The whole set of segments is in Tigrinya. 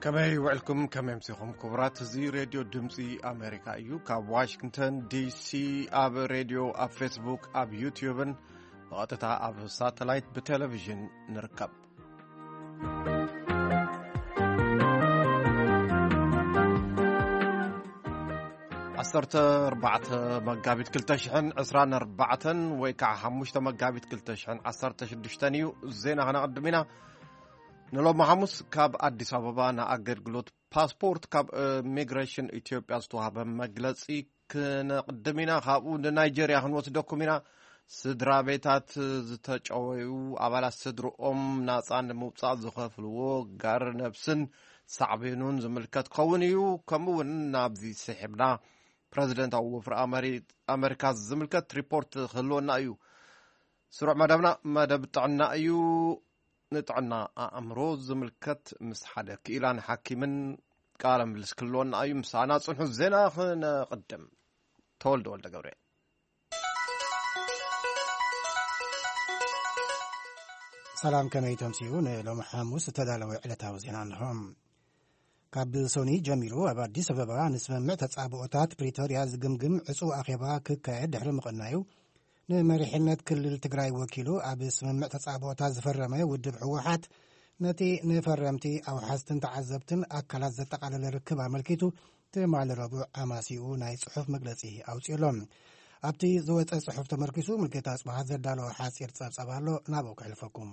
ከመይ ውዕልኩም? ከመይ ምሲኹም ክቡራት? እዚ ሬድዮ ድምፂ ኣሜሪካ እዩ። ካብ ዋሽንግተን ዲሲ ኣብ ሬድዮ፣ ኣብ ፌስቡክ፣ ኣብ ዩትዩብን ብቐጥታ ኣብ ሳተላይት ብቴሌቪዥን ንርከብ። ዓሰርተ ኣርባዕተ መጋቢት ክልተ ሽሕን ዕስራን ኣርባዕተን ወይ ከዓ ሓሙሽተ መጋቢት ክልተ ሽሕን ዓሰርተ ሽዱሽተን እዩ። ዜና ከነቐድም ኢና። ንሎሚ ሓሙስ ካብ ኣዲስ ኣበባ ንኣገልግሎት ፓስፖርት ካብ ኢሚግሬሽን ኢትዮጵያ ዝተዋህበ መግለጺ ክነቕድም ኢና። ካብኡ ንናይጀርያ ክንወስደኩም ኢና። ስድራ ቤታት ዝተጨወዩ ኣባላት ስድርኦም ናጻ ንምውጻእ ዝኸፍልዎ ጋር ነብስን ሳዕቤኑን ዝምልከት ክኸውን እዩ። ከምኡ እውን ናብዚ ስሒብና ፕረዚደንታዊ ወፍሪ ኣመሪ-፣ ኣመሪካ ዝምልከት ሪፖርት ክህልወና እዩ። ስሩዕ መደብና መደብ ጥዕና እዩ። ንጥዕና ኣእምሮ ዝምልከት ምስ ሓደ ክኢላን ሓኪምን ቃለ ምልልስ ክህልወና እዩ። ምሳና ጽንሑ። ዜና ክነቕድም። ተወልደ ወልደ ገብርኤል። ሰላም፣ ከመይ ተምስዩ? ንሎሚ ሓሙስ ዝተዳለወ ዕለታዊ ዜና እንሆ። ካብ ሶኒ ጀሚሩ ኣብ ኣዲስ ኣበባ ንስምምዕ ተጻብኦታት ፕሪቶርያ ዝግምግም ዕጹው ኣኼባ ክካየድ ድሕሪ ምቕናዩ፣ ንመሪሕነት ክልል ትግራይ ወኪሉ ኣብ ስምምዕ ተጻብኦታት ዝፈረመ ውድብ ህወሓት፣ ነቲ ንፈረምቲ ኣውሓዝትን ተዓዘብትን ኣካላት ዘጠቓለለ ርክብ ኣመልኪቱ ትማሊ ረቡዕ ኣማሲኡ ናይ ጽሑፍ መግለጺ ኣውጺኡ ኣሎ። ኣብቲ ዝወጸ ጽሑፍ ተመርኪሱ ሙልጌታ ኣጽብሃ ዘዳለወ ሓጺር ጸብጻብ ኣሎ፣ ናብኡ ከሕልፈኩም።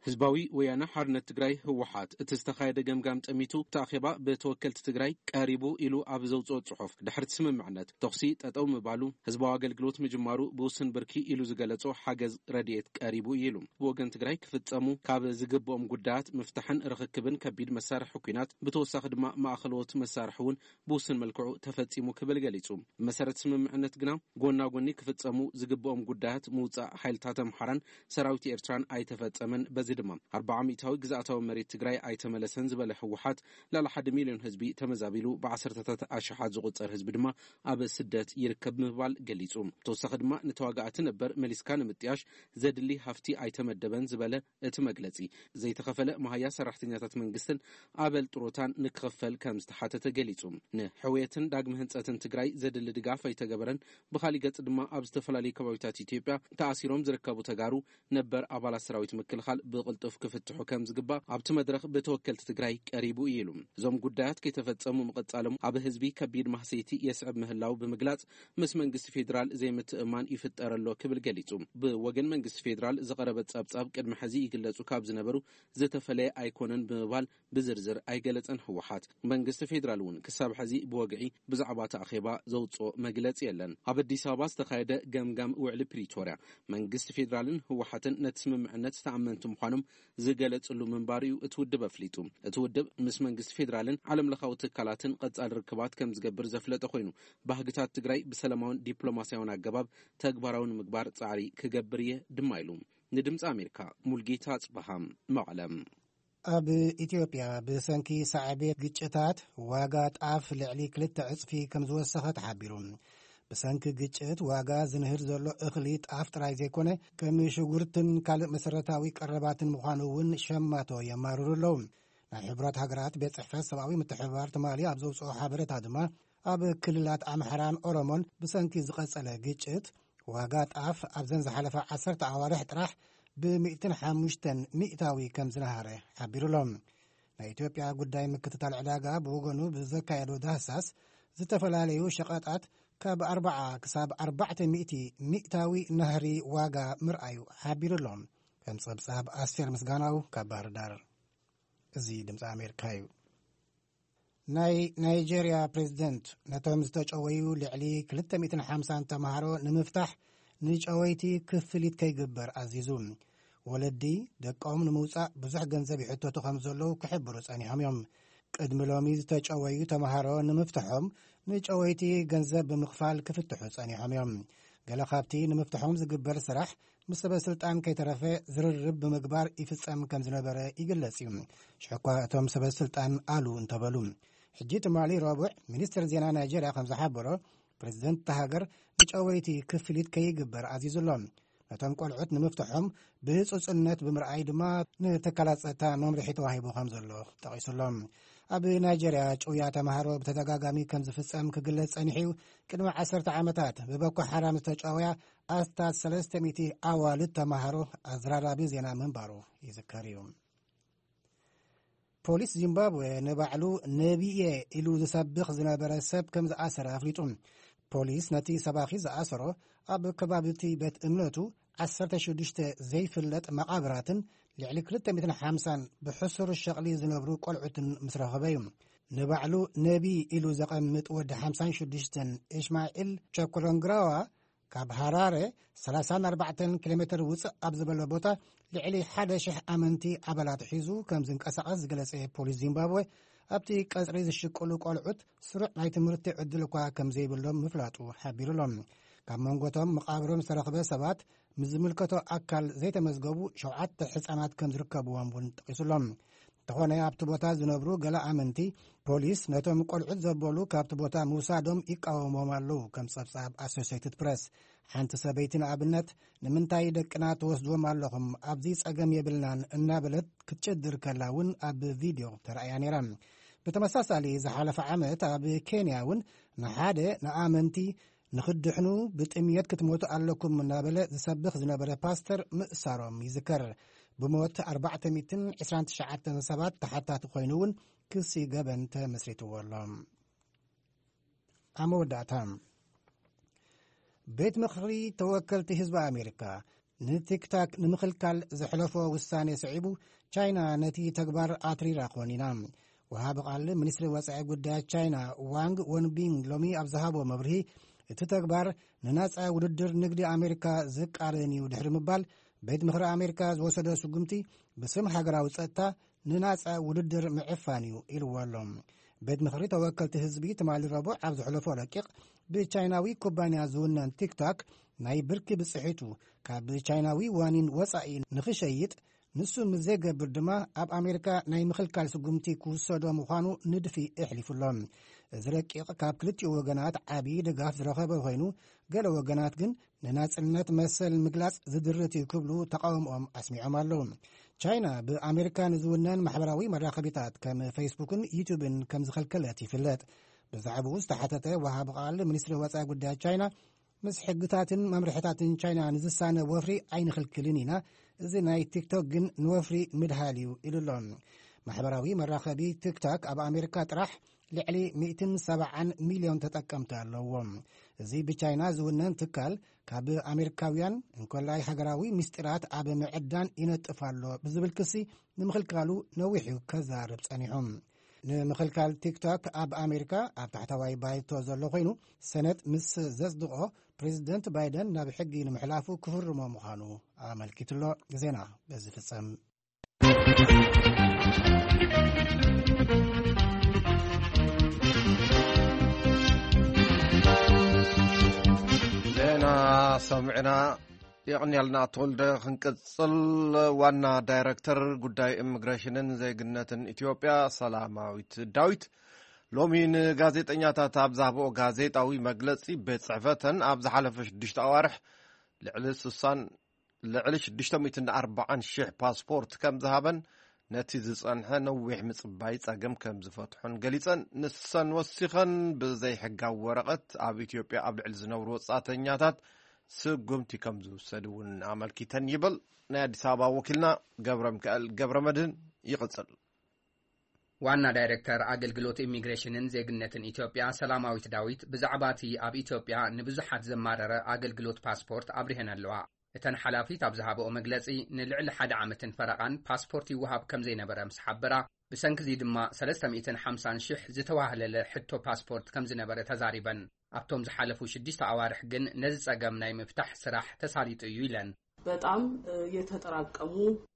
ህዝባዊ ወያነ ሓርነት ትግራይ ህወሓት እቲ ዝተኻየደ ገምጋም ጠሚቱ፣ እቲ ኣኼባ ብተወከልቲ ትግራይ ቀሪቡ ኢሉ ኣብ ዘውፅኦ ፅሑፍ፣ ድሕርቲ ስምምዕነት ተኹሲ ጠጠው ምባሉ፣ ህዝባዊ ኣገልግሎት ምጅማሩ ብውስን ብርኪ ኢሉ ዝገለጾ ሓገዝ ረድኤት ቀሪቡ እዩ ኢሉ። ብወገን ትግራይ ክፍጸሙ ካብ ዝግብኦም ጉዳያት ምፍታሕን ርኽክብን ከቢድ መሳርሒ ኩናት፣ ብተወሳኺ ድማ ማእኸለዎት መሳርሒ እውን ብውስን መልክዑ ተፈጺሙ ክብል ገሊጹ። ብመሰረት ስምምዕነት ግና ጎና ጎኒ ክፍጸሙ ዝግብኦም ጉዳያት ምውጻእ ሓይልታት ኣምሓራን ሰራዊት ኤርትራን ኣይተፈጸመን፣ በዚ ድማ ኣርብዓ ሚእታዊ ግዝኣታዊ መሬት ትግራይ ኣይተመለሰን ዝበለ ህወሓት፣ ልዕሊ ሓደ ሚልዮን ህዝቢ ተመዛቢሉ፣ ብዓሰርተታት ኣሽሓት ዝቑጸር ህዝቢ ድማ ኣብ ስደት ይርከብ ምባል ገሊጹ። ብተወሳኺ ድማ ንተዋጋእቲ ነበር መሊስካ ንምጥያሽ ዘድሊ ሃፍቲ ኣይተመደበን ዝበለ እቲ መግለጺ፣ ዘይተኸፈለ መሃያ ሰራሕተኛታት መንግስትን ኣበል ጥሮታን ንክኽፈል ከም ዝተሓተተ ገሊጹ። ንሕውየትን ዳግመ ህንጸትን ትግራይ ዘድሊ ድጋፍ ኣይተገበረን። ብኻሊእ ገጽ ድማ ኣብ ዝተፈላለዩ ከባቢታት ኢትዮጵያ ተኣሲሮም ዝርከቡ ተጋሩ ነበር ኣባላት ሰራዊት ምክልኻል ብቕልጡፍ ክፍትሑ ከም ዝግባእ ኣብቲ መድረኽ ብተወከልቲ ትግራይ ቀሪቡ እዩ ኢሉ። እዞም ጉዳያት ከይተፈጸሙ ምቕጻሎም ኣብ ህዝቢ ከቢድ ማህሰይቲ የስዕብ ምህላው ብምግላጽ፣ ምስ መንግስቲ ፌዴራል ዘይምትእማን ይፍጠር ኣሎ ክብል ገሊጹ። ብወገን መንግስቲ ፌዴራል ዝቐረበ ጸብጻብ ቅድሚ ሕዚ ይግለጹ ካብ ዝነበሩ ዝተፈለየ ኣይኮነን ብምባል ብዝርዝር ኣይገለጸን ህወሓት። መንግስቲ ፌዴራል እውን ክሳብ ሕዚ ብወግዒ ብዛዕባ እቲ ኣኼባ ዘውፅኦ መግለጺ የለን። ኣብ ኣዲስ ኣበባ ዝተኻየደ ገምጋም ውዕሊ ፕሪቶርያ፣ መንግስቲ ፌዴራልን ህወሓትን ነቲ ስምምዕነት ተኣመንቲ ምዃኖም ዝገለጽሉ ምንባር እዩ እቲ ውድብ ኣፍሊጡ። እቲ ውድብ ምስ መንግስቲ ፌዴራልን ዓለም ለኻዊ ትካላትን ቀጻሊ ርክባት ከም ዝገብር ዘፍለጠ ኮይኑ፣ ባህግታት ትግራይ ብሰላማውን ዲፕሎማሲያውን ኣገባብ ተግባራዊ ንምግባር ጻዕሪ ክገብር እየ ድማ ኢሉ። ንድምፂ ኣሜሪካ ሙልጌታ ኣጽበሃ፣ መቐለ። ኣብ ኢትዮጵያ ብሰንኪ ሳዕቤት ግጭታት ዋጋ ጣፍ ልዕሊ ክልተ ዕጽፊ ከም ዝወሰኸ ተሓቢሩ። ብሰንኪ ግጭት ዋጋ ዝንህር ዘሎ እኽሊ ጣፍ ጥራይ ዘይኮነ፣ ከም ሽጉርትን ካልእ መሰረታዊ ቀረባትን ምዃኑ እውን ሸማቶ የማርሩ ኣለዉ። ናይ ሕቡራት ሃገራት ቤት ጽሕፈት ሰብኣዊ ምትሕብባር ትማሊ ኣብ ዘውፅኦ ሓበሬታ ድማ፣ ኣብ ክልላት ኣምሓራን ኦሮሞን ብሰንኪ ዝቐጸለ ግጭት ዋጋ ጣፍ ኣብዘን ዝሓለፋ ዓሰርተ ኣዋርሕ ጥራሕ ብሚእትን ሓሙሽተን ሚእታዊ ከም ዝነሃረ ሓቢሩ ኣሎ። ናይ ኢትዮጵያ ጉዳይ ምክትታል ዕዳጋ ብወገኑ ብዘካየዶ ዳህሳስ፣ ዝተፈላለዩ ሸቐጣት ካብ ኣርብዓ ክሳብ ኣርባዕተ ሚእቲ ሚእታዊ ናህሪ ዋጋ ምርኣዩ ሓቢሩ ኣሎ። ከም ጸብጻብ ኣስቴር ምስጋናው ካብ ባህር ዳር። እዚ ድምፂ ኣሜሪካ እዩ። ናይ ናይጄርያ ፕሬዝደንት ነቶም ዝተጨወዩ ልዕሊ ክልተ ሚእትን ሓምሳን ተምሃሮ ንምፍታሕ ንጨወይቲ ክፍሊት ከይግበር ኣዚዙ። ወለዲ ደቆም ንምውጻእ ብዙሕ ገንዘብ ይሕተቱ ከም ዘለዉ ክሕብሩ ጸኒሖም እዮም። ቅድሚ ሎሚ ዝተጨወዩ ተምሃሮ ንምፍትሖም ንጨወይቲ ገንዘብ ብምኽፋል ክፍትሑ ጸኒሖም እዮም። ገለ ካብቲ ንምፍትሖም ዝግበር ስራሕ ምስ ሰበ ስልጣን ከይተረፈ ዝርርብ ብምግባር ይፍጸም ከም ዝነበረ ይግለጽ እዩ። ሽሕኳ እቶም ሰበ ስልጣን ኣሉ እንተበሉ። ሕጂ ትማሊ ረቡዕ ሚኒስትር ዜና ናይጄርያ ከም ዝሓበሮ፣ ፕሬዝደንት እታ ሃገር ንጨወይቲ ክፍሊት ከይግበር ኣዚዙ ኣሎ። ነቶም ቆልዑት ንምፍትሖም ብህጹጽነት ብምርኣይ ድማ ንትካላት ጸጥታ መምርሒ ተዋሂቡ ከም ዘሎ ጠቒሱ ኣሎ። ኣብ ናይጀርያ ጭውያ ተምሃሮ ብተደጋጋሚ ከም ዝፍጸም ክግለጽ ጸኒሑ እዩ። ቅድሚ ዓሰርተ ዓመታት ብቦኮ ሓራም ዝተጨወያ ኣስታት ሰለስተ ሚእቲ ኣዋልድ ተምሃሮ ኣዘራራቢ ዜና ምንባሩ ይዝከር እዩ። ፖሊስ ዚምባብዌ ንባዕሉ ነቢየ ኢሉ ዝሰብኽ ዝነበረ ሰብ ከም ዝኣሰረ ኣፍሊጡ። ፖሊስ ነቲ ሰባኺ ዝኣሰሮ ኣብ ከባቢ እቲ ቤት እምነቱ ዓሰርተ ሽዱሽተ ዘይፍለጥ መቓብራትን ልዕሊ ክልተ ሚእትን ሓምሳን ብሕሱር ሸቕሊ ዝነብሩ ቆልዑትን ምስ ረኸበ እዩ። ንባዕሉ ነቢ ኢሉ ዘቐምጥ ወዲ ሓምሳን ሽዱሽተን ኢሽማዒል ቸኮሎንግራዋ ካብ ሃራረ ሰላሳን ኣርባዕተን ኪሎ ሜትር ውፅእ ኣብ ዝበለ ቦታ ልዕሊ ሓደ ሽሕ ኣመንቲ ኣባላት ሒዙ ከም ዝንቀሳቐስ ዝገለጸ ፖሊስ ዚምባብዌ፣ ኣብቲ ቀጽሪ ዝሽቅሉ ቆልዑት ስሩዕ ናይ ትምህርቲ ዕድል እኳ ከም ዘይብሎም ምፍላጡ ሓቢሩሎም። ካብ መንጎቶም መቓብሮም ዝተረኽበ ሰባት ምስ ዝምልከቶ ኣካል ዘይተመዝገቡ ሸውዓተ ሕጻናት ከም ዝርከብዎም እውን ጠቒሱሎም። እንተኾነ ኣብቲ ቦታ ዝነብሩ ገለ ኣመንቲ ፖሊስ ነቶም ቆልዑት ዘበሉ ካብቲ ቦታ ምውሳዶም ይቃወሞም ኣለዉ። ከም ጸብጻብ ኣሶሴይትድ ፕረስ፣ ሓንቲ ሰበይቲ ንኣብነት፣ "ንምንታይ ደቅና ትወስድዎም ኣለኹም? ኣብዚ ጸገም የብልናን" እናበለት ክትጭድር ከላ እውን ኣብ ቪድዮ ተራእያ ነይራ። ብተመሳሳሊ ዝሓለፈ ዓመት ኣብ ኬንያ እውን ንሓደ ንኣመንቲ "ንኽድሕኑ ብጥምየት ክትሞቱ ኣለኩም" እናበለ ዝሰብኽ ዝነበረ ፓስተር ምእሳሮም ይዝከር። ብሞት ኣርባዕተ ሚእትን ዕስራን ትሽዓተን ሰባት ተሓታቲ ኮይኑ እውን ክሲ ገበን ተመስሪትዎ ኣሎ። ኣብ መወዳእታ፣ ቤት ምኽሪ ተወከልቲ ህዝቢ ኣሜሪካ ንቲክታክ ንምኽልካል ዘሕለፎ ውሳኔ ስዒቡ፣ ቻይና ነቲ ተግባር ኣትሪራ ኮኒና። ወሃቢ ቃል ሚኒስትሪ ወጻኢ ጉዳያት ቻይና ዋንግ ወንቢንግ ሎሚ ኣብ ዝሃቦ መብርሂ፣ እቲ ተግባር ንናጻ ውድድር ንግዲ ኣሜሪካ ዝቃረን እዩ ድሕሪ ምባል፣ ቤት ምኽሪ ኣሜሪካ ዝወሰዶ ስጉምቲ ብስም ሃገራዊ ጸጥታ ንናጻ ውድድር ምዕፋን እዩ ኢልዎ ኣሎ። ቤት ምኽሪ ተወከልቲ ህዝቢ ትማሊ ረቡዕ ኣብ ዘሕለፎ ረቂቕ፣ ብቻይናዊ ኩባንያ ዝውነን ቲክቶክ ናይ ብርኪ ብጽሒቱ ካብ ቻይናዊ ዋኒን ወጻኢ ንኽሸይጥ፣ ንሱ ምስ ዘይገብር ድማ ኣብ ኣሜሪካ ናይ ምኽልካል ስጉምቲ ክውሰዶ ምዃኑ ንድፊ ኣሕሊፉ ኣሎ። እዚ ረቂቕ ካብ ክልቲኡ ወገናት ዓቢ ድጋፍ ዝረኸበ ኮይኑ፣ ገለ ወገናት ግን ንናጽነት መሰል ምግላጽ ዝድርት እዩ ክብሉ ተቃውሞኦም ኣስሚዖም ኣለዉ። ቻይና ብኣሜሪካ ንዝውነን ማሕበራዊ መራኸቢታት ከም ፌስቡክን ዩቱብን ከም ዝኸልከለት ይፍለጥ። ብዛዕባኡ ዝተሓተተ ወሃቢ ቃል ሚኒስትሪ ወጻኢ ጉዳያት ቻይና፣ "ምስ ሕግታትን መምርሕታትን ቻይና ንዝሳነ ወፍሪ ኣይንኽልክልን ኢና፣ እዚ ናይ ቲክቶክ ግን ንወፍሪ ምድሃል እዩ" ኢሉ ኣሎ። ማሕበራዊ መራኸቢ ቲክቶክ ኣብ ኣሜሪካ ጥራሕ ልዕሊ ሚእትን ሰብዓን ሚልዮን ተጠቀምቲ ኣለዎም። እዚ ብቻይና ዝውነን ትካል፣ ካብ ኣሜሪካውያን እንኮላይ ሃገራዊ ምስጢራት ኣብ ምዕዳን ይነጥፍ ኣሎ ብዝብል ክሲ፣ ንምኽልካሉ ነዊሕ እዩ ከዛርብ ጸኒሑ። ንምኽልካል ቲክቶክ ኣብ ኣሜሪካ ኣብ ታሕተዋይ ባይቶ ዘሎ ኮይኑ፣ ሰነድ ምስ ዘጽድቖ፣ ፕሬዚደንት ባይደን ናብ ሕጊ ንምሕላፉ ክፍርሞ ምዃኑ ኣመልኪቱ ኣሎ። ዜና በዚ ፍጸም። ዜና ሰሚዕና የቕንያልና ተወልደ። ክንቅጽል፣ ዋና ዳይረክተር ጉዳይ ኢሚግሬሽንን ዜግነትን ኢትዮጵያ ሰላማዊት ዳዊት ሎሚ ንጋዜጠኛታት ኣብ ዝሃብኦ ጋዜጣዊ መግለጺ፣ ቤት ጽሕፈተን ኣብ ዝሓለፈ ሽዱሽተ ኣዋርሕ ልዕሊ ስሳን ልዕሊ ሽዱሽተ ሚእትን ኣርባዓን ሽሕ ፓስፖርት ከም ዝሃበን ነቲ ዝጸንሐ ነዊሕ ምጽባይ ጸገም ከም ዝፈትሖን ገሊጸን፣ ንሰን ወሲኸን ብዘይሕጋዊ ወረቐት ኣብ ኢትዮጵያ ኣብ ልዕሊ ዝነብሩ ወጻእተኛታት ስጉምቲ ከም ዝውሰድ እውን ኣመልኪተን ይብል ናይ ኣዲስ ኣበባ ወኪልና ገብረ ሚካኤል ገብረ መድህን። ይቕጽል። ዋና ዳይሬክተር ኣገልግሎት ኢሚግሬሽንን ዜግነትን ኢትዮጵያ ሰላማዊት ዳዊት ብዛዕባ እቲ ኣብ ኢትዮጵያ ንብዙሓት ዘማረረ ኣገልግሎት ፓስፖርት ኣብሪሀን ኣለዋ። እተን ሓላፊት ኣብ ዝሃበኦ መግለጺ፣ ንልዕሊ ሓደ ዓመትን ፈረቓን ፓስፖርት ይወሃብ ከም ዘይነበረ ምስ ሓበራ፣ ብሰንኪ እዚ ድማ ሰለስተ ሚእትን ሓምሳን ሽሕ ዝተዋህለለ ሕቶ ፓስፖርት ከም ዝነበረ ተዛሪበን። ኣብቶም ዝሓለፉ ሽዱሽተ ኣዋርሕ ግን ነዚ ጸገም ናይ ምፍታሕ ስራሕ ተሳሊጡ እዩ ኢለን። በጣም የተጠራቀሙ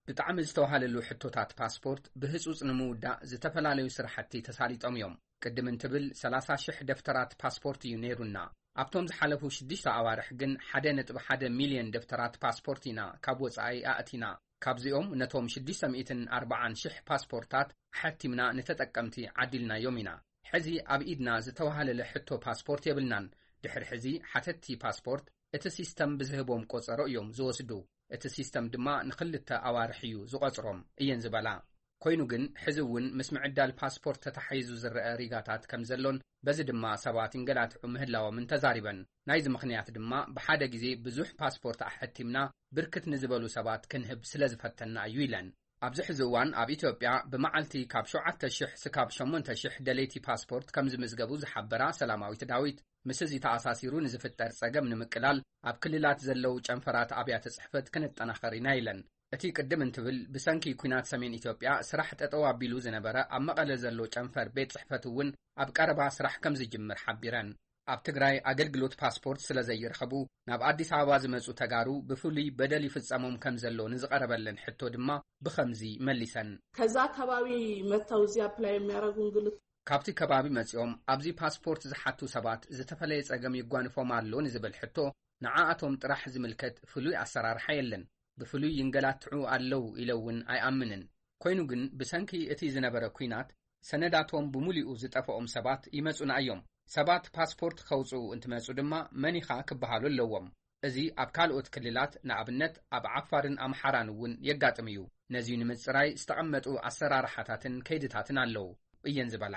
ብጣዕሚ ዝተዋህለሉ ሕቶታት ፓስፖርት ብህጹጽ ንምውዳእ ዝተፈላለዩ ስራሕቲ ተሳሊጦም እዮም። ቅድም እንትብል ሰላሳ ሽሕ ደፍተራት ፓስፖርት እዩ ነይሩና። ኣብቶም ዝሓለፉ ሽዱሽተ ኣዋርሕ ግን ሓደ ነጥቢ ሓደ ሚልዮን ደፍተራት ፓስፖርት ኢና ካብ ወጻኢ ኣእቲና። ካብዚኦም ነቶም ሽዱሽተ ሚእትን ኣርባዓን ሽሕ ፓስፖርታት ሓቲምና ንተጠቀምቲ ዓዲልናዮም ኢና። ሕዚ ኣብ ኢድና ዝተዋህለለ ሕቶ ፓስፖርት የብልናን። ድሕሪ ሕዚ ሓተትቲ ፓስፖርት እቲ ሲስተም ብዝህቦም ቆጸሮ እዮም ዝወስዱ። እቲ ሲስተም ድማ ንኽልተ ኣዋርሕ እዩ ዝቖጽሮም እየን ዝበላ። ኮይኑ ግን፣ ሕዚ እውን ምስ ምዕዳል ፓስፖርት ተተሓሒዙ ዝረአ ሪጋታት ከም ዘሎን፣ በዚ ድማ ሰባት ይንገላትዑ ምህላዎምን ተዛሪበን። ናይዚ ምኽንያት ድማ፣ ብሓደ ግዜ ብዙሕ ፓስፖርት ኣሐቲምና ብርክት ንዝበሉ ሰባት ክንህብ ስለ ዝፈተና እዩ ኢለን። ኣብዚ ሕዚ እዋን ኣብ ኢትዮጵያ ብመዓልቲ ካብ ሸውዓተ ሺሕ ስካብ ሸሞንተ ሺሕ ደለይቲ ፓስፖርት ከም ዝምዝገቡ ዝሓበራ ሰላማዊት ዳዊት፣ ምስ እዚ ተኣሳሲሩ ንዝፍጠር ጸገም ንምቅላል ኣብ ክልላት ዘለዉ ጨንፈራት ኣብያተ ጽሕፈት ክነጠናኸር ኢና ኢለን። እቲ ቅድም እንትብል ብሰንኪ ኲናት ሰሜን ኢትዮጵያ ስራሕ ጠጠው ኣቢሉ ዝነበረ ኣብ መቐለ ዘሎ ጨንፈር ቤት ጽሕፈት እውን ኣብ ቀረባ ስራሕ ከም ዝጅምር ሓቢረን። ኣብ ትግራይ ኣገልግሎት ፓስፖርት ስለ ዘይረኸቡ ናብ ኣዲስ ኣበባ ዝመጹ ተጋሩ ብፍሉይ በደል ይፍጸሞም ከም ዘሎ ንዝቐረበለን ሕቶ ድማ ብኸምዚ መሊሰን። ከዛ ከባቢ መጥተው እዚህ apply የሚያደርጉ እንግልት ካብቲ ከባቢ መጺኦም ኣብዚ ፓስፖርት ዝሓቱ ሰባት ዝተፈለየ ጸገም ይጓንፎም ኣሎ ንዝብል ሕቶ፣ ንዓኣቶም ጥራሕ ዝምልከት ፍሉይ ኣሰራርሓ የለን። ብፍሉይ ይንገላትዑ ኣለዉ ኢለ እውን ኣይኣምንን። ኮይኑ ግን ብሰንኪ እቲ ዝነበረ ኲናት ሰነዳቶም ብሙሉኡ ዝጠፍኦም ሰባት ይመጹና እዮም። ሰባት ፓስፖርት ከውጽኡ እንትመጹ ድማ መን ኢኻ ክበሃሉ ኣለዎም። እዚ ኣብ ካልኦት ክልላት፣ ንኣብነት ኣብ ዓፋርን ኣምሓራን እውን የጋጥም እዩ። ነዚ ንምጽራይ ዝተቐመጡ ኣሰራርሓታትን ከይድታትን ኣለዉ እየን ዝበላ።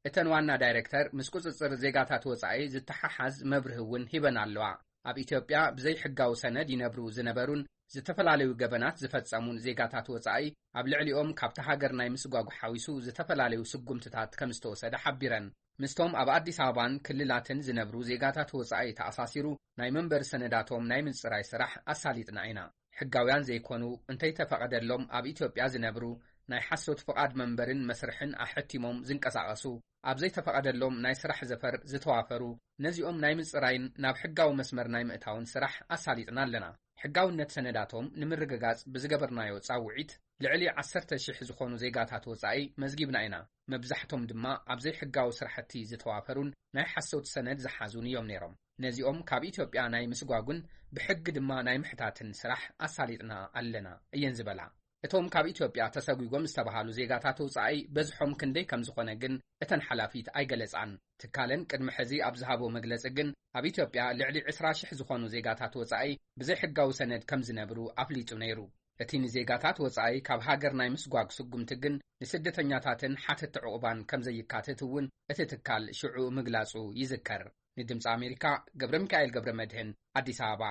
እተን ዋና ዳይሬክተር፣ ምስ ቁጽጽር ዜጋታት ወጻኢ ዝተሓሓዝ መብርሂ እውን ሂበን ኣለዋ። ኣብ ኢትዮጵያ ብዘይሕጋዊ ሰነድ ይነብሩ ዝነበሩን ዝተፈላለዩ ገበናት ዝፈጸሙን ዜጋታት ወጻኢ፣ ኣብ ልዕሊኦም ካብቲ ሃገር ናይ ምስጓጉ ሓዊሱ ዝተፈላለዩ ስጉምትታት ከም ዝተወሰደ ሓቢረን። ምስቶም ኣብ ኣዲስ ኣበባን ክልላትን ዝነብሩ ዜጋታት ወጻኢ ተኣሳሲሩ ናይ መንበሪ ሰነዳቶም ናይ ምጽራይ ስራሕ ኣሳሊጥና ኢና። ሕጋውያን ዘይኮኑ፣ እንተይተፈቐደሎም ኣብ ኢትዮጵያ ዝነብሩ፣ ናይ ሓሶት ፍቓድ መንበርን መስርሕን ኣሐቲሞም ዝንቀሳቐሱ፣ ኣብ ዘይተፈቐደሎም ናይ ስራሕ ዘፈር ዝተዋፈሩ፣ ነዚኦም ናይ ምጽራይን ናብ ሕጋዊ መስመር ናይ ምእታውን ስራሕ ኣሳሊጥና ኣለና። ሕጋውነት ሰነዳቶም ንምርግጋጽ ብዝገበርናዮ ጻውዒት፣ ልዕሊ ዓሰርተ ሺሕ ዝኾኑ ዜጋታት ወጻኢ መዝጊብና ኢና። መብዛሕቶም ድማ ኣብ ዘይሕጋዊ ስራሕቲ ዝተዋፈሩን ናይ ሓሶት ሰነድ ዝሓዙን እዮም ነይሮም። ነዚኦም ካብ ኢትዮጵያ ናይ ምስጓጉን ብሕጊ ድማ ናይ ምሕታትን ስራሕ ኣሳሊጥና ኣለና እየን ዝበላ። እቶም ካብ ኢትዮጵያ ተሰጒጎም ዝተባሃሉ ዜጋታት ወጻኢ በዝሖም ክንደይ ከም ዝኾነ ግን እተን ሓላፊት ኣይገለጻን። ትካለን ቅድሚ ሕዚ ኣብ ዝሃቦ መግለጺ ግን፣ ኣብ ኢትዮጵያ ልዕሊ ዕስራ ሺሕ ዝኾኑ ዜጋታት ወጻኢ ብዘይሕጋዊ ሰነድ ከም ዝነብሩ ኣፍሊጡ ነይሩ። እቲ ንዜጋታት ወጻኢ ካብ ሃገር ናይ ምስጓግ ስጉምቲ ግን ንስደተኛታትን ሓተቲ ዕቑባን ከም ዘይካተት እውን እቲ ትካል ሽዑ ምግላጹ ይዝከር። ንድምጺ ኣሜሪካ፣ ገብረ ሚካኤል ገብረ መድህን፣ ኣዲስ ኣበባ።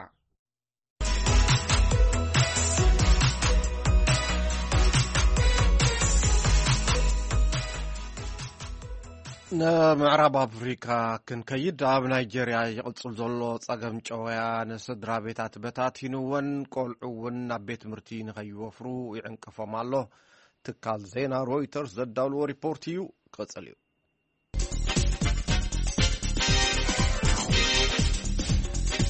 ንምዕራብ ኣፍሪካ ክንከይድ፣ ኣብ ናይጀርያ ይቕጽል ዘሎ ጸገም ጨወያ ንስድራ ቤታት በታቲንወን፣ ቆልዑ እውን ናብ ቤት ትምህርቲ ንኸይወፍሩ ይዕንቅፎም ኣሎ። ትካል ዜና ሮይተርስ ዘዳልዎ ሪፖርት እዩ። ክቕጽል እዩ።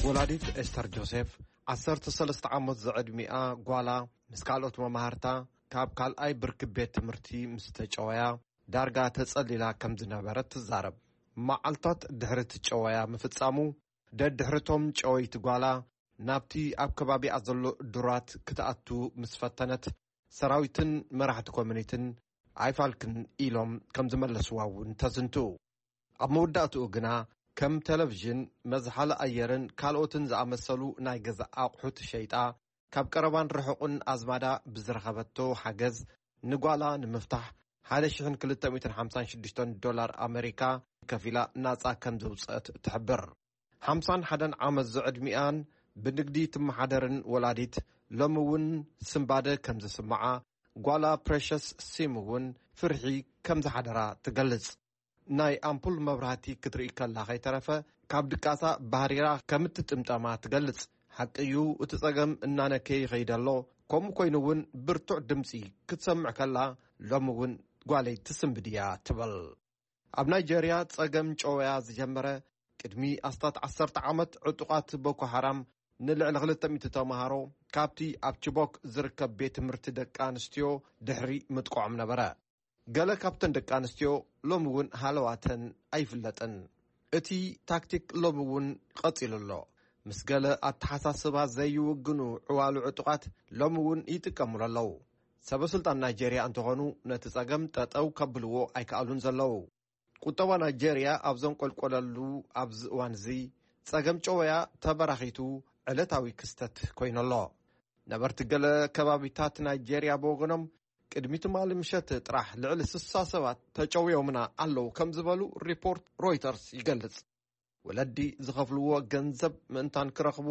ወላዲት ኤስተር ጆሴፍ፣ ዓሰርተ ሰለስተ ዓመት ዝዕድሚኣ ጓላ፣ ምስ ካልኦት መማህርታ ካብ ካልኣይ ብርኪ ቤት ትምህርቲ ምስ ተጨወያ፣ ዳርጋ ተጸሊላ ከም ዝነበረት ትዛረብ። መዓልታት ድሕሪ እቲ ጨወያ ምፍጻሙ፣ ደድሕርቶም ጨወይቲ ጓላ ናብቲ ኣብ ከባቢኣ ዘሎ ዱራት ክትኣቱ ምስ ፈተነት፣ ሰራዊትን መራሕቲ ኮሚኒቲን ኣይፋልክን ኢሎም ከም ዝመለስዋ እውን ተዝንቱ። ኣብ መወዳእትኡ ግና፣ ከም ቴሌቪዥን፣ መዝሓሊ ኣየርን ካልኦትን ዝኣመሰሉ ናይ ገዛ ኣቑሑት ሸይጣ፣ ካብ ቀረባን ርሑቕን ኣዝማዳ ብዝረኸበቶ ሓገዝ፣ ንጓላ ንምፍታሕ ሓደ ሽሕን ክልተ ሚእትን ሓምሳን ሽዱሽተን ዶላር ኣመሪካ ከፊላ ናጻ ከም ዘውጽአት ትሕብር። ሓምሳን ሓደን ዓመት ዝዕድሚኣን ብንግዲ ትመሓደርን ወላዲት፣ ሎሚ እውን ስንባደ ከም ዝስምዓ ጓላ ፕሬሸስ ሲም እውን ፍርሒ ከም ዝሓደራ ትገልጽ። ናይ ኣምፑል መብራህቲ ክትርኢ ከላ ከይተረፈ፣ ካብ ድቃሳ ባህሪራ ከም እትጥምጠማ ትገልጽ። ሓቂ እዩ፣ እቲ ጸገም እናነከየ ይኸይድ ኣሎ። ከምኡ ኮይኑ እውን ብርቱዕ ድምጺ ክትሰምዕ ከላ፣ ሎሚ እውን ጓለይ ትስንብድ እያ ትብል። ኣብ ናይጀርያ ጸገም ጨወያ ዝጀመረ ቅድሚ ኣስታት ዓሰርተ ዓመት፣ ዕጡቓት ቦኮ ሓራም ንልዕሊ ክልተ ሚእቲ ተማሃሮ ካብቲ ኣብ ቺቦክ ዝርከብ ቤት ትምህርቲ ደቂ ኣንስትዮ ድሕሪ ምጥቃዖም ነበረ። ገለ ካብተን ደቂ ኣንስትዮ ሎሚ እውን ሃለዋተን ኣይፍለጥን። እቲ ታክቲክ ሎሚ እውን ቀጺሉ ኣሎ። ምስ ገለ ኣተሓሳስባ ዘይውግኑ ዕዋሉ ዕጡቓት ሎሚ እውን ይጥቀሙሉ ኣለዉ። ሰበ ስልጣን ናይጀርያ እንተኾኑ፣ ነቲ ጸገም ጠጠው ከብልዎ ኣይከኣሉን ዘለዉ። ቁጠባ ናይጀርያ ኣብ ዘንቆልቆለሉ ኣብዚ እዋን እዚ፣ ጸገም ጨወያ ተበራኺቱ ዕለታዊ ክስተት ኮይኑ ኣሎ። ነበርቲ ገለ ከባቢታት ናይጀርያ ብወገኖም፣ ቅድሚ ትማሊ ምሸት ጥራሕ ልዕሊ ስሳ ሰባት ተጨውዮምና ኣለዉ ከም ዝበሉ ሪፖርት ሮይተርስ ይገልጽ። ወለዲ ዝኸፍልዎ ገንዘብ ምእንታን ክረኽቡ፣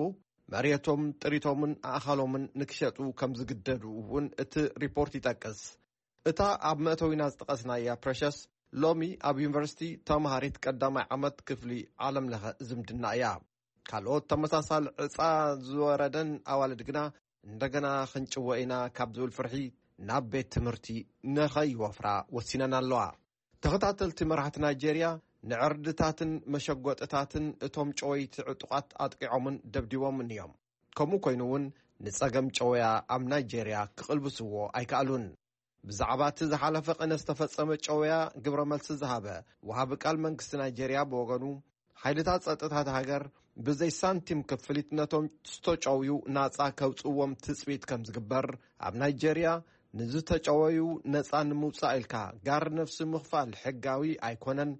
መሬቶም፣ ጥሪቶምን ኣእኻሎምን ንክሸጡ ከም ዝግደዱ እውን እቲ ሪፖርት ይጠቅስ። እታ ኣብ መእተዊና ዝጠቐስናያ ፕረሸስ፣ ሎሚ ኣብ ዩኒቨርሲቲ ተምሃሪት ቀዳማይ ዓመት ክፍሊ ዓለምለኸ ዝምድና እያ። ካልኦት ተመሳሳሊ ዕጻ ዝወረደን ኣዋልድ ግና፣ እንደገና ክንጭወ ኢና ካብ ዝብል ፍርሒ ናብ ቤት ትምህርቲ ንኸይወፍራ ወሲነን ኣለዋ። ተኸታተልቲ መራሕቲ ናይጄርያ፣ ንዕርድታትን መሸጎጥታትን እቶም ጨወይቲ ዕጡቓት ኣጥቂዖምን ደብዲቦምን እዮም። ከምኡ ኮይኑ እውን፣ ንጸገም ጨወያ ኣብ ናይጄርያ ክቕልብስዎ ኣይከኣሉን። ብዛዕባ እቲ ዝሓለፈ ቅነ ዝተፈጸመ ጨወያ ግብረ መልሲ ዝሃበ ወሃቢ ቃል መንግስቲ ናይጄርያ ብወገኑ፣ ሓይልታት ጸጥታ እታ ሃገር ብዘይ ሳንቲም ክፍሊት ነቶም ዝተጨውዩ ናጻ ከውጽእዎም ትጽቢት ከም ዝግበር፣ ኣብ ናይጄርያ ንዝተጨወዩ ነጻ ንምውጻእ ኢልካ ጋር ነፍሲ ምኽፋል ሕጋዊ ኣይኮነን።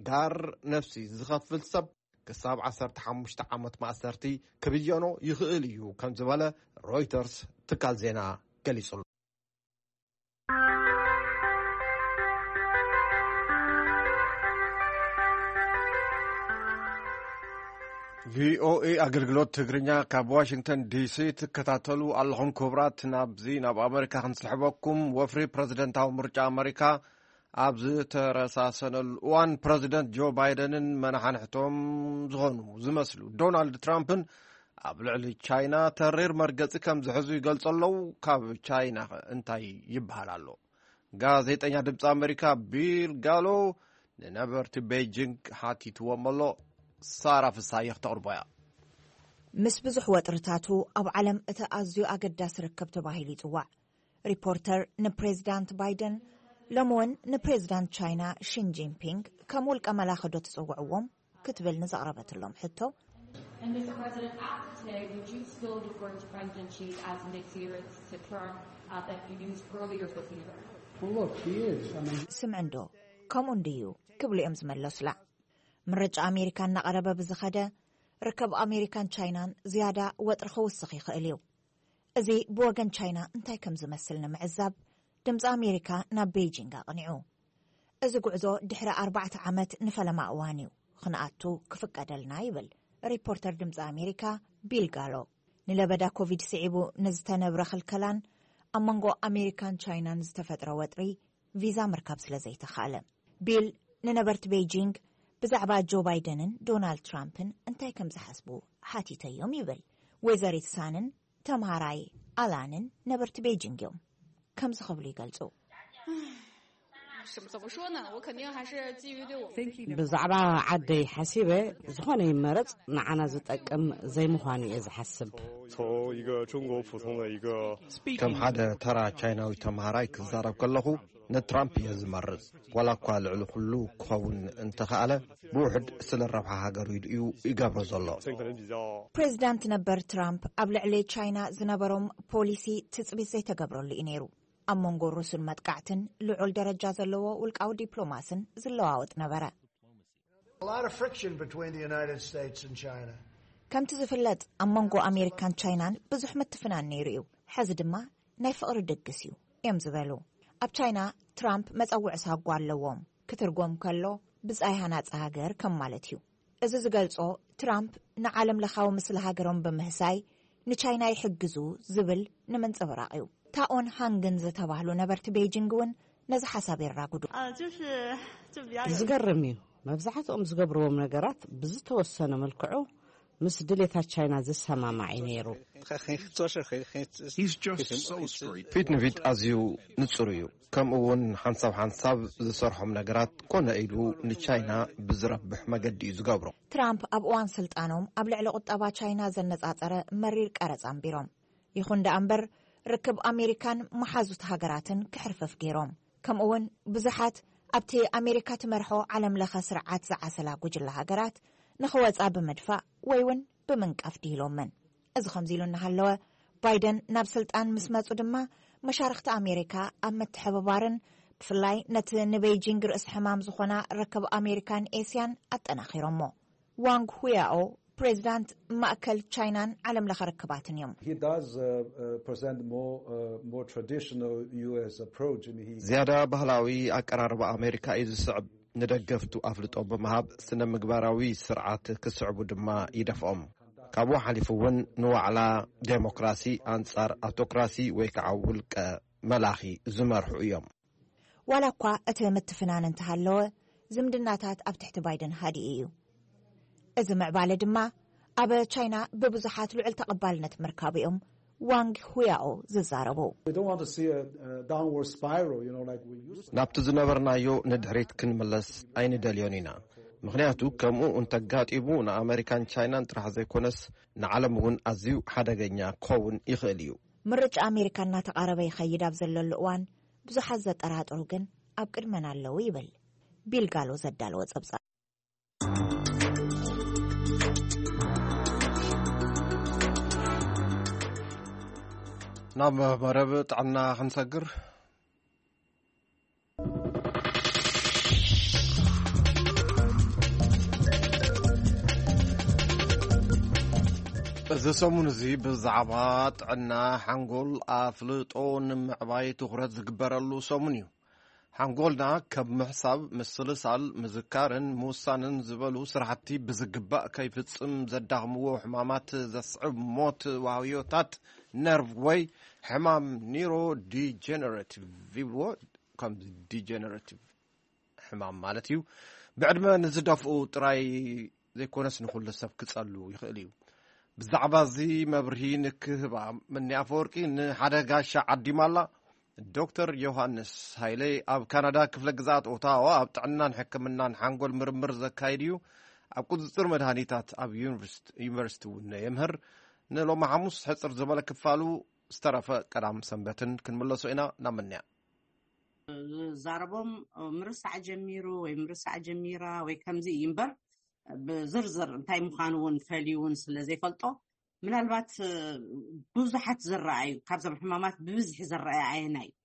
ጋር ነፍሲ ዝኸፍል ሰብ ክሳብ ዓሰርተ ሓሙሽተ ዓመት ማእሰርቲ ክብየኖ ይኽእል እዩ ከም ዝበለ ሮይተርስ ትካል ዜና ገሊጹ። ቪኦኤ ኣገልግሎት ትግርኛ ካብ ዋሽንግተን ዲሲ ትከታተሉ ኣለኹም። ክቡራት፣ ናብዚ ናብ ኣመሪካ ክንስሕበኩም። ወፍሪ ፕረዚደንታዊ ምርጫ ኣመሪካ ኣብ ዝተረሳሰነሉ እዋን፣ ፕረዚደንት ጆ ባይደንን መናሓንሕቶም ዝኾኑ ዝመስሉ ዶናልድ ትራምፕን ኣብ ልዕሊ ቻይና ተሪር መርገጺ ከም ዝሕዙ ይገልጹ ኣለዉ። ካብ ቻይና እንታይ ይበሃል ኣሎ? ጋዜጠኛ ድምፂ ኣመሪካ ቢል ጋሎ ንነበርቲ ቤጂንግ ሓቲትዎም ኣሎ። ሳራ ፍሳየ ክተቕርቦ እያ። ምስ ብዙሕ ወጥርታቱ፣ ኣብ ዓለም እቲ ኣዝዩ ኣገዳሲ ርክብ ተባሂሉ ይጽዋዕ። ሪፖርተር ንፕሬዚዳንት ባይደን፣ ሎሚ እውን ንፕሬዚዳንት ቻይና ሺን ጂንፒንግ ከም ውልቀ መላኺ ዶ ትጽውዕዎም ክትብል ንዘቕረበትሎም ሕቶ፣ And Mister President, after today, would you still refer to President Xi as Nick Xi to term uh, that you used earlier this year? Well, look, he is. I mean, ስምዕንዶ ከምኡ እንድዩ ክብሉ እዮም ዝመለሱላ። ምርጫ ኣሜሪካ እናቐረበ ብዝኸደ፣ ርክብ ኣሜሪካን ቻይናን ዝያዳ ወጥሪ ክውስኽ ይኽእል እዩ። እዚ ብወገን ቻይና እንታይ ከም ዝመስል ንምዕዛብ፣ ድምፂ ኣሜሪካ ናብ ቤይጂንግ ኣቕኒዑ። እዚ ጉዕዞ ድሕሪ ኣርባዕተ ዓመት ንፈለማ እዋን እዩ ክንኣቱ ክፍቀደልና፣ ይብል ሪፖርተር ድምፂ ኣሜሪካ ቢል ጋሎ። ንለበዳ ኮቪድ ስዒቡ ንዝተነብረ ክልከላን ኣብ መንጎ ኣሜሪካን ቻይናን ዝተፈጥረ ወጥሪ ቪዛ ምርካብ ስለ ዘይተኻእለ። ቢል ንነበርቲ ቤይጂንግ ብዛዕባ ጆ ባይደንን ዶናልድ ትራምፕን እንታይ ከም ዝሓስቡ ሓቲተዮም ይብል። ወይዘሪት ሳንን ተምሃራይ ኣላንን ነበርቲ ቤይጂንግ እዮም። ከምዚ ክብሉ ይገልጹ። ብዛዕባ ዓደይ ሓሲበ፣ ዝኾነ ይመረጽ ንዓና ዝጠቅም ዘይምዃኑ እየ ዝሓስብ። ከም ሓደ ተራ ቻይናዊ ተምሃራይ ክዛረብ ከለኹ፣ ንትራምፕ እየ ዝመርጽ። ዋላ እኳ ልዕሊ ኩሉ ክኸውን እንተኸኣለ፣ ብውሕድ ስለ ረብሓ ሃገሩ ኢሉ እዩ ይገብሮ ዘሎ። ፕሬዚዳንት ነበር ትራምፕ ኣብ ልዕሊ ቻይና ዝነበሮም ፖሊሲ ትጽቢት ዘይተገብረሉ እዩ ነይሩ። ኣብ መንጎ ሩስን መጥቃዕትን ልዑል ደረጃ ዘለዎ ውልቃዊ ዲፕሎማስን ዝለዋወጥ ነበረ። A lot of friction between the United States and China. ከምቲ ዝፍለጥ፣ ኣብ መንጎ ኣሜሪካን ቻይናን ብዙሕ ምትፍናን ነይሩ እዩ። ሕዚ ድማ ናይ ፍቕሪ ድግስ እዩ እዮም ዝበሉ። ኣብ ቻይና ትራምፕ መጸውዒ ሳጓ ኣለዎም። ክትርጎም ከሎ፣ ብጻይ ሃናጺ ሃገር ከም ማለት እዩ። እዚ ዝገልጾ፣ ትራምፕ ንዓለም ለኻዊ ምስሊ ሃገሮም ብምህሳይ ንቻይና ይሕግዙ ዝብል ንምንጽብራቕ እዩ። ታኦን ሃንግን ዝተባህሉ ነበርቲ ቤይጂንግ እውን ነዚ ሓሳብ የራጉዱ። ዝገርም እዩ። መብዛሕትኦም ዝገብርዎም ነገራት ብዝተወሰነ መልክዑ ምስ ድሌታት ቻይና ዝሰማማዕ እዩ ነይሩ። ፊት ንፊት ኣዝዩ ንጹር እዩ። ከምኡ እውን ሓንሳብ ሓንሳብ ዝሰርሖም ነገራት ኮነ ኢሉ ንቻይና ብዝረብሕ መገዲ እዩ ዝገብሮ። ትራምፕ ኣብ እዋን ስልጣኖም ኣብ ልዕሊ ቁጠባ ቻይና ዘነጻጸረ መሪር ቀረጽ ኣንቢሮም። ይኹን ደኣ እምበር፣ ርክብ ኣሜሪካን መሓዙት ሃገራትን ክሕርፍፍ ገይሮም። ከምኡውን ብዙሓት ኣብቲ ኣሜሪካ ትመርሖ ዓለም ለኸ ስርዓት ዝዓሰላ ጉጅለ ሃገራት ንኽወጻ ብምድፋእ ወይ እውን ብምንቃፍ ድሂሎመን። እዚ ከምዚ ኢሉ እናሃለወ፣ ባይደን ናብ ስልጣን ምስ መጹ ድማ፣ መሻርኽቲ ኣሜሪካ ኣብ ምትሕብባርን ብፍላይ ነቲ ንቤይጂንግ ርእሲ ሕማም ዝኾና ርክብ ኣሜሪካን ኤስያን ኣጠናኺሮሞ። ዋንግ ሁያኦ ፕሬዚዳንት ማእከል ቻይናን ዓለም ለኸ ርክባትን እዮም። He does uh, uh, present more uh, more traditional U S approach. I mean, he ዝያዳ ባህላዊ ኣቀራርባ ኣሜሪካ እዩ ዝስዕብ። ንደገፍቱ ኣፍልጦ ብምሃብ ስነ ምግባራዊ ስርዓት ክስዕቡ ድማ ይደፍኦም። ካብኡ ሓሊፉ እውን ንዋዕላ ዴሞክራሲ ኣንጻር ኣውቶክራሲ ወይ ከዓ ውልቀ መላኺ ዝመርሑ እዮም። ዋላ እኳ እቲ ምትፍናን እንተሃለወ፣ ዝምድናታት ኣብ ትሕቲ ባይደን ሃዲኡ እዩ። እዚ ምዕባለ ድማ ኣብ ቻይና ብብዙሓት ልዑል ተቐባልነት ምርካቡ እዮም ዋንግ ሁያኦ ዝዛረቡ። We don't want to see a, a downward spiral, you know, like we used to. ናብቲ ዝነበርናዮ ንድሕሪት ክንምለስ ኣይንደልዮን ኢና። ምኽንያቱ ከምኡ እንተጋጢሙ ንኣመሪካን ቻይናን ጥራሕ ዘይኮነስ ንዓለም እውን ኣዝዩ ሓደገኛ ክኸውን ይኽእል እዩ። ምርጫ ኣሜሪካ እናተቓረበ ይኸይድ ኣብ ዘለሉ እዋን፣ ብዙሓት ዘጠራጥሩ ግን ኣብ ቅድመና ኣለዉ ይብል ቢል ጋሎ ዘዳለወ ጸብጻብ። ናብ መረብ ጥዕና ክንሰግር። እዚ ሰሙን እዚ ብዛዕባ ጥዕና ሓንጎል ኣፍልጦ ንምዕባይ ትኹረት ዝግበረሉ ሰሙን እዩ። ሓንጎልና ከም ምሕሳብ፣ ምስልሳል፣ ምዝካርን ምውሳንን ዝበሉ ስራሕቲ ብዝግባእ ከይፍጽም ዘዳኽምዎ ሕማማት ዘስዕብ ሞት ዋህዮታት ነርቭ ወይ ሕማም ኒሮ ዲጀነረቲቭ ይብልዎ። ከም ዲጀነረቲቭ ሕማም ማለት እዩ። ብዕድመ ንዝደፍኡ ጥራይ ዘይኮነስ ንኹሉ ሰብ ክጸሉ ይኽእል እዩ። ብዛዕባ እዚ መብርሂ ንክህባ ምኒ ኣፈወርቂ ንሓደ ጋሻ ዓዲማ ኣላ። ዶክተር ዮሃንስ ሃይለ ኣብ ካናዳ ክፍለ ግዝኣት ኦታዋ ኣብ ጥዕናን ሕክምናን ሓንጎል ምርምር ዘካይድ እዩ። ኣብ ቁፅፅር መድሃኒታት ኣብ ዩኒቨርሲቲ እውን የምህር። ንሎሚ ሓሙስ ሕፅር ዝበለ ክፋሉ ዝተረፈ ቀዳም ሰንበትን ክንምለሶ ኢና። ናብ ምንያ ዛረቦም ምርሳዕ ጀሚሩ ወይ ምርሳዕ ጀሚራ ወይ ከምዚ እዩ እምበር፣ ብዝርዝር እንታይ ምዃኑ እውን ፈልዩ እውን ስለ ዘይፈልጦ፣ ምናልባት ብዙሓት ዝረኣዩ ካብዞም ሕማማት ብብዝሒ ዝረኣዩ ኣየናይ እዩ?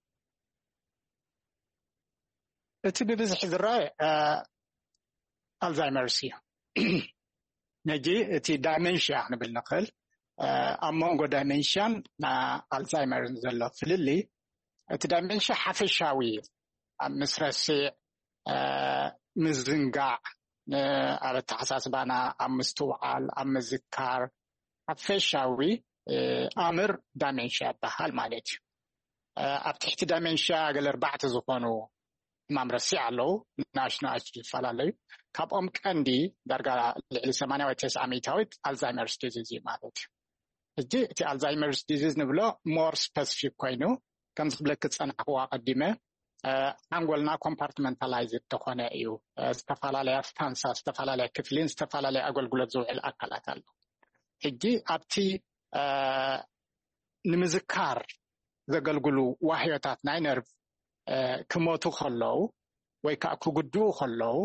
እቲ ብብዝሒ ዝረኣየ ኣልዛይመርስ እዩ። ነጂ እቲ ዳይመንሽያ ክንብል ንኽእል። ኣብ መንጎ ዳይመንሽያን ኣልዛይመርን ዘሎ ፍልልይ፣ እቲ ዳይመንሽያ ሓፈሻዊ እዩ። ኣብ ምስ ረስዕ፣ ምዝንጋዕ፣ ኣብ ኣተሓሳስባና፣ ኣብ ምስትውዓል፣ ኣብ ምዝካር ሓፈሻዊ ኣምር ዳይመንሽያ ይበሃል ማለት እዩ። ኣብ ትሕቲ ዳይመንሽያ ገለ ኣርባዕተ ዝኾኑ ሕማም ረሲዕ ኣለዉ። ንኣሽቱ ንኣሽቱ ዝፈላለዩ፣ ካብኦም ቀንዲ ዳርጋ ልዕሊ ሰማንያ ወይ ተስዓ ሚእታዊት ኣልዛይመርስ ዲዚዝ እዩ ማለት እዩ። ሕጂ እቲ ኣልዛይመርስ ዲዚዝ ንብሎ ሞር ስፐሲፊክ ኮይኑ፣ ከምዚ ክብለክ ዝጸናሕክዎ ኣቐዲመ፣ ሓንጎልና ኮምፓርትመንታላይዝ ተኾነ እዩ። ዝተፈላለያ ስታንሳ፣ ዝተፈላለያ ክፍሊን ዝተፈላለያ ኣገልግሎት ዝውዕል ኣካላት ኣሎ። ሕጂ ኣብቲ ንምዝካር ዘገልግሉ ዋህዮታት ናይ ነርቭ ክሞቱ ከለዉ ወይ ከዓ ክጉድኡ ከለዉ፣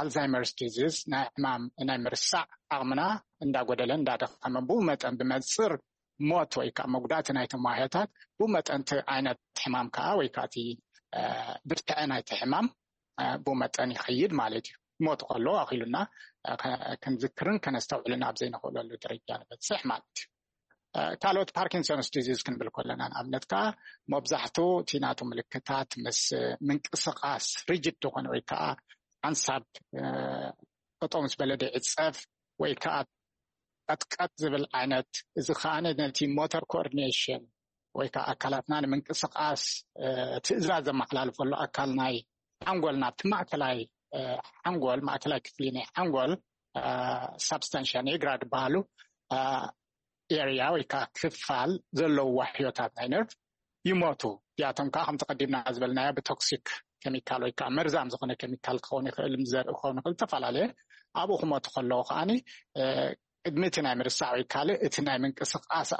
ኣልዛይመርስ ዲዚዝ ናይ ሕማም ናይ ምርሳዕ ዓቕምና እንዳጎደለ እንዳደኸመ፣ ብኡ መጠን ብመንፅር ሞት ወይ ከዓ መጉዳእቲ ናይቶም ዋህዮታት፣ ብኡ መጠን እቲ ዓይነት ሕማም ከዓ ወይ ከዓ እቲ ብርትዐ ናይቲ ሕማም ብኡ መጠን ይኸይድ ማለት እዩ። ሞት ከሎ ኣኺሉና ክንዝክርን ከነስተውዕልን ኣብ ዘይንኽእለሉ ደረጃ ንበፅሕ ማለት እዩ። ካልኦት ፓርኪንሶንስ ዲዚዝ ክንብል ከለና፣ ንኣብነት ከዓ መብዛሕቱ እቲ ናቱ ምልክታት ምስ ምንቅስቃስ፣ ሪጅድ ዝኾነ ወይ ከዓ ሓንሳብ ጠጠው ምስ በለ ደይዕፀፍ ወይ ከዓ ቀጥቀጥ ዝብል ዓይነት፣ እዚ ከዓ ነቲ ሞተር ኮኦርዲኔሽን ወይ ከዓ ኣካላትና ንምንቅስቃስ ትእዛዝ ዘመሓላልፈሉ ኣካል ናይ ሓንጎልና፣ ኣብቲ ማእከላይ ሓንጎል፣ ማእከላይ ክፍሊ ናይ ሓንጎል ሳብስታንሽያ ኒግራ ዝበሃሉ ኤርያ ወይ ከዓ ክፋል ዘለዉ ዋሕዮታት ናይ ነርቭ ይሞቱ። እዚኣቶም ከዓ ከምቲ ቀዲምና ዝበልናዮ ብቶክሲክ ኬሚካል ወይ ከዓ መርዛም ዝኾነ ኬሚካል ክኸውን ይኽእል፣ ዘርኢ ክኸውን ይኽእል፣ ዝተፈላለየ፣ ኣብኡ ክሞቱ ከለዉ ከዓኒ ቅድሚ እቲ ናይ ምርሳዕ ወይ ካልእ እቲ ናይ ምንቅስቃስ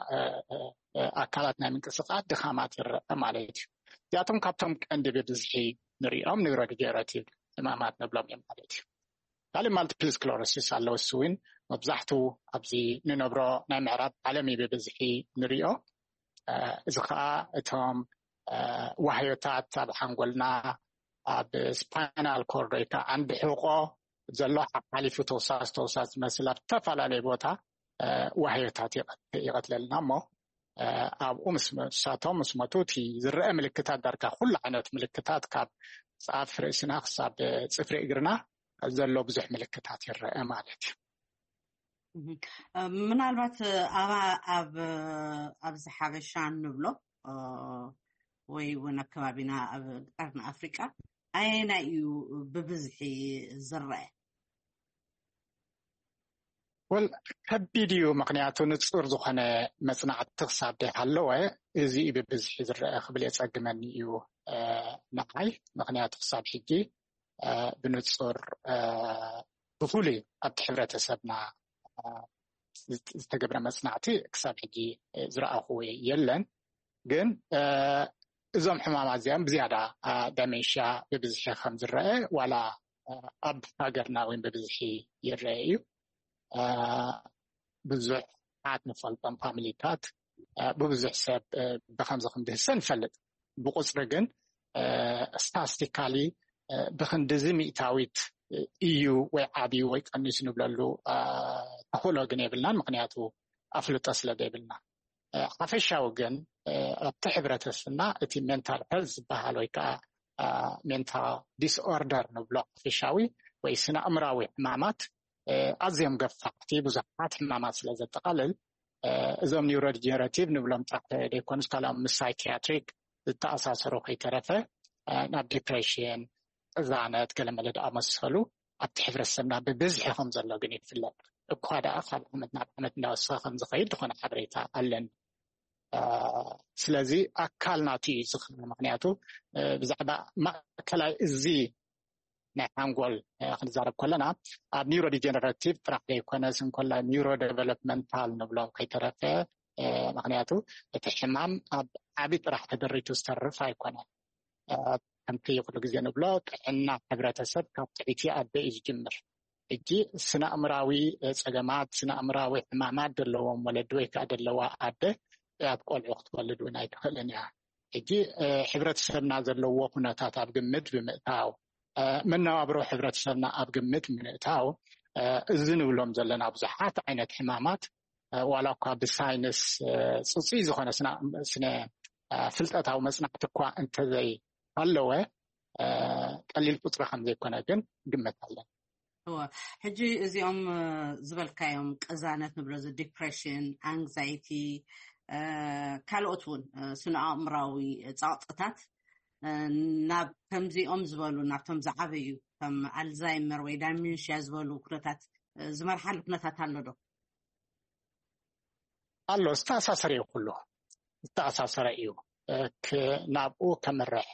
ኣካላት ናይ ምንቅስቃስ ድኻማት ይረአ ማለት እዩ። እዚኣቶም ካብቶም ቀንዲ ብብዝሒ ንሪኦም ኒውሮዲጀነረቲቭ ሕማማት ንብሎም እዮም ማለት እዩ። ካልእ ማልቲፕል ስክለሮሲስ ኣሎ። እሱ እውን መብዛሕቱ ኣብዚ ንነብሮ ናይ ምዕራብ ዓለም እዩ ብብዝሒ ንሪኦ። እዚ ከዓ እቶም ዋህዮታት ኣብ ሓንጎልና፣ ኣብ ስፓይናል ኮርድ ወይ ከዓ ዓንዲ ሕቆ ዘሎ ሓሓሊፉ ተውሳስ ተውሳስ ዝመስል ኣብ ዝተፈላለዩ ቦታ ዋህዮታት ይቐትለልና እሞ ኣብኡ ምስ መሳቶም ምስ መቱ እቲ ዝረአ ምልክታት ዳርጋ ኩሉ ዓይነት ምልክታት ካብ ፃፍ ርእስና ክሳብ ፅፍሪ እግርና ዘሎ ብዙሕ ምልክታት ይረአ ማለት እዩ። ምናልባት ኣብ ኣብዚ ሓበሻ ንብሎ ወይ እውን ኣብ ከባቢና ኣብ ቀርኒ ኣፍሪቃ ኣየናይ እዩ ብብዝሒ ዝረአ? ወል ከቢድ እዩ፣ ምክንያቱ ንፁር ዝኾነ መፅናዕቲ ክሳብ ደይሃለወ እዚ እዩ ብብዝሒ ዝረአ ክብል የፀግመኒ እዩ ንዓይ። ምክንያቱ ክሳብ ሕጂ ብንፁር ብፍሉይ ኣብቲ ሕብረተሰብና ዝተገብረ መፅናዕቲ ክሳብ ሕጂ ዝረኣኹዎ የለን። ግን እዞም ሕማማት እዚኦም ብዝያዳ ደሜንሽያ ብብዝሒ ከም ዝረአ ዋላ ኣብ ሃገርና እውን ብብዝሒ ይረአ እዩ። ብዙሕ ዓት ንፈልጦም ፋሚሊታት ብብዙሕ ሰብ ብከምዚ ከም ዝህሰ ንፈልጥ። ብቁፅሪ ግን ስታስቲካሊ ብክንድዚ ሚእታዊት እዩ ወይ ዓብዩ ወይ ቀኒሱ ንብለሉ ተኽእሎ ግን የብልናን፣ ምክንያቱ ኣፍልጦ ስለ ዘይብልና። ሓፈሻዊ ግን ኣብቲ ሕብረተሰብና እቲ ሜንታል ሄልት ዝበሃል ወይ ከዓ ሜንታል ዲስኦርደር ንብሎ ሓፈሻዊ ወይ ስነ ኣእምራዊ ሕማማት ኣዝዮም ገፋሕቲ ብዙሓት ሕማማት ስለ ዘጠቃልል እዞም ኒውሮዲጀነሬቲቭ ንብሎም ጥራሕ ዘይኮኑስ ካልኦም ምስ ሳይኪያትሪክ ዝተኣሳሰሩ ከይተረፈ ናብ ዲፕሬሽን፣ ቅዛነት፣ ገለመለ ዝኣመሰሉ ኣብቲ ሕብረተሰብና ብብዝሒ ከም ዘሎ ግን ይፍለጥ። እኳ ደኣ ካብ ዓመት ናብ ዓመት እንዳወሰኸ ከም ዝኸይድ ዝኾነ ሓበሬታ ኣለኒ። ስለዚ ኣካል ናቱ እዩ ዝኽእል። ምክንያቱ ብዛዕባ ማእከላይ እዚ ናይ ሓንጎል ክንዛረብ ከለና ኣብ ኒውሮ ዲጀነረቲቭ ጥራሕ ዘይኮነስ እንኮላይ ኒውሮ ዴቨሎፕመንታል ንብሎም ከይተረፈ፣ ምክንያቱ እቲ ሕማም ኣብ ዓቢ ጥራሕ ተደሪቱ ዝተርፍ ኣይኮነን። ከምቲ ኩሉ ግዜ ንብሎ ጥዕና ሕብረተሰብ ካብ ትዕይቲ ኣደ እዩ ዝጅምር። ሕጂ ስነ ኣእምራዊ ፀገማት፣ ስነ ኣእምራዊ ሕማማት ዘለዎም ወለዲ ወይ ከዓ ዘለዋ ኣደ ኣብ ቆልዑ ክትወልድ እውን ኣይትኽእልን እያ። ሕጂ ሕብረተሰብና ዘለዎ ኩነታት ኣብ ግምት ብምእታው፣ መነባብሮ ሕብረተሰብና ኣብ ግምት ብምእታው፣ እዚ ንብሎም ዘለና ብዙሓት ዓይነት ሕማማት ዋላ እኳ ብሳይንስ ፅፁይ ዝኾነ ስነ ፍልጠታዊ መፅናዕቲ እኳ እንተዘይ ኣለወ ቀሊል ቁፅሪ ከም ዘይኮነ ግን ግምት ኣለን። ሕጂ እዚኦም ዝበልካዮም ቅዛነት ንብሎ፣ ዲፕሬሽን፣ ኣንግዛይቲ፣ ካልኦት እውን ስነ ኣእምራዊ ፀቕጥታት ናብ ከምዚኦም ዝበሉ ናብቶም ዝዓበዩ ከም ኣልዛይመር ወይ ዳሜንሽያ ዝበሉ ኩነታት ዝመርሓሉ ኩነታት ኣሎ ዶ? ኣሎ፣ ዝተኣሳሰረ እዩ፣ ኩሉ ዝተኣሳሰረ እዩ። ናብኡ ከምርሕ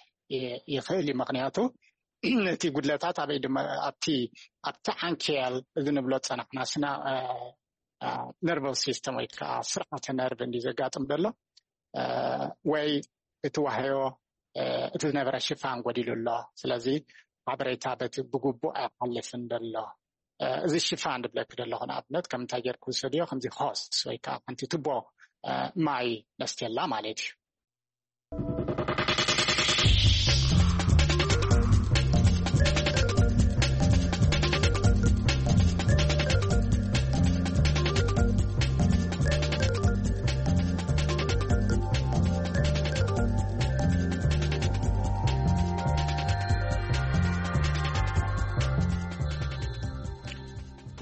ይኽእል እዩ። ምክንያቱ እቲ ጉድለታት ኣበይ ድማ ኣብቲ ኣብቲ ዓንኬል እዚ ንብሎ ዝፀናሕና ስና ነርቨስ ሲስተም ወይ ከዓ ስርዓተ ነርቭ እንዲ ዘጋጥም ዘሎ ወይ እቲ ዋህዮ እቲ ዝነበረ ሽፋን ጎዲሉ ኣሎ። ስለዚ ሓበሬታ በቲ ብግቡእ ኣይሓልፍን ዘሎ። እዚ ሽፋን ዝብለኪ ዘለኹ ንኣብነት ከም እንታይ ጌርኩ ዝሰድዮ ከምዚ ሆስ ወይ ከዓ ሓንቲ ቱቦ ማይ ነስትየላ ማለት እዩ።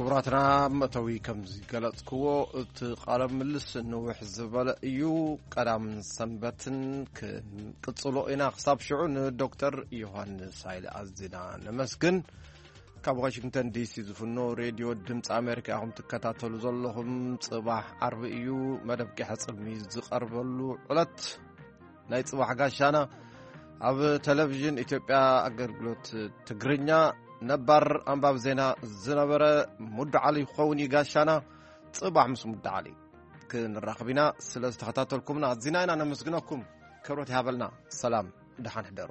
ክቡራትና፣ መእተዊ ከም ዝገለጽክዎ እቲ ቃለ ምልስ ንውሕ ዝበለ እዩ። ቀዳምን ሰንበትን ክንቅጽሎ ኢና። ክሳብ ሽዑ ንዶክተር ዮሃንስ ሃይለ ኣዝና ነመስግን። ካብ ዋሽንግተን ዲሲ ዝፍኖ ሬድዮ ድምፂ ኣሜሪካ ኢኹም ትከታተሉ ዘለኹም። ጽባሕ ዓርቢ እዩ መደብ ቂሐ ጽልሚ ዝቐርበሉ ዕለት። ናይ ጽባሕ ጋሻና ኣብ ቴሌቪዥን ኢትዮጵያ ኣገልግሎት ትግርኛ ነባር ኣንባብ ዜና ዝነበረ ሙዱ ዓሊ ክኸውን እዩ ጋሻና። ጽባሕ ምስ ሙዱ ዓሊ ክንራኸብ ኢና። ስለ ዝተኸታተልኩምና ኣዚና ኢና ነመስግነኩም። ክብረት ይሃበልና። ሰላም፣ ደሓን ሕደሩ።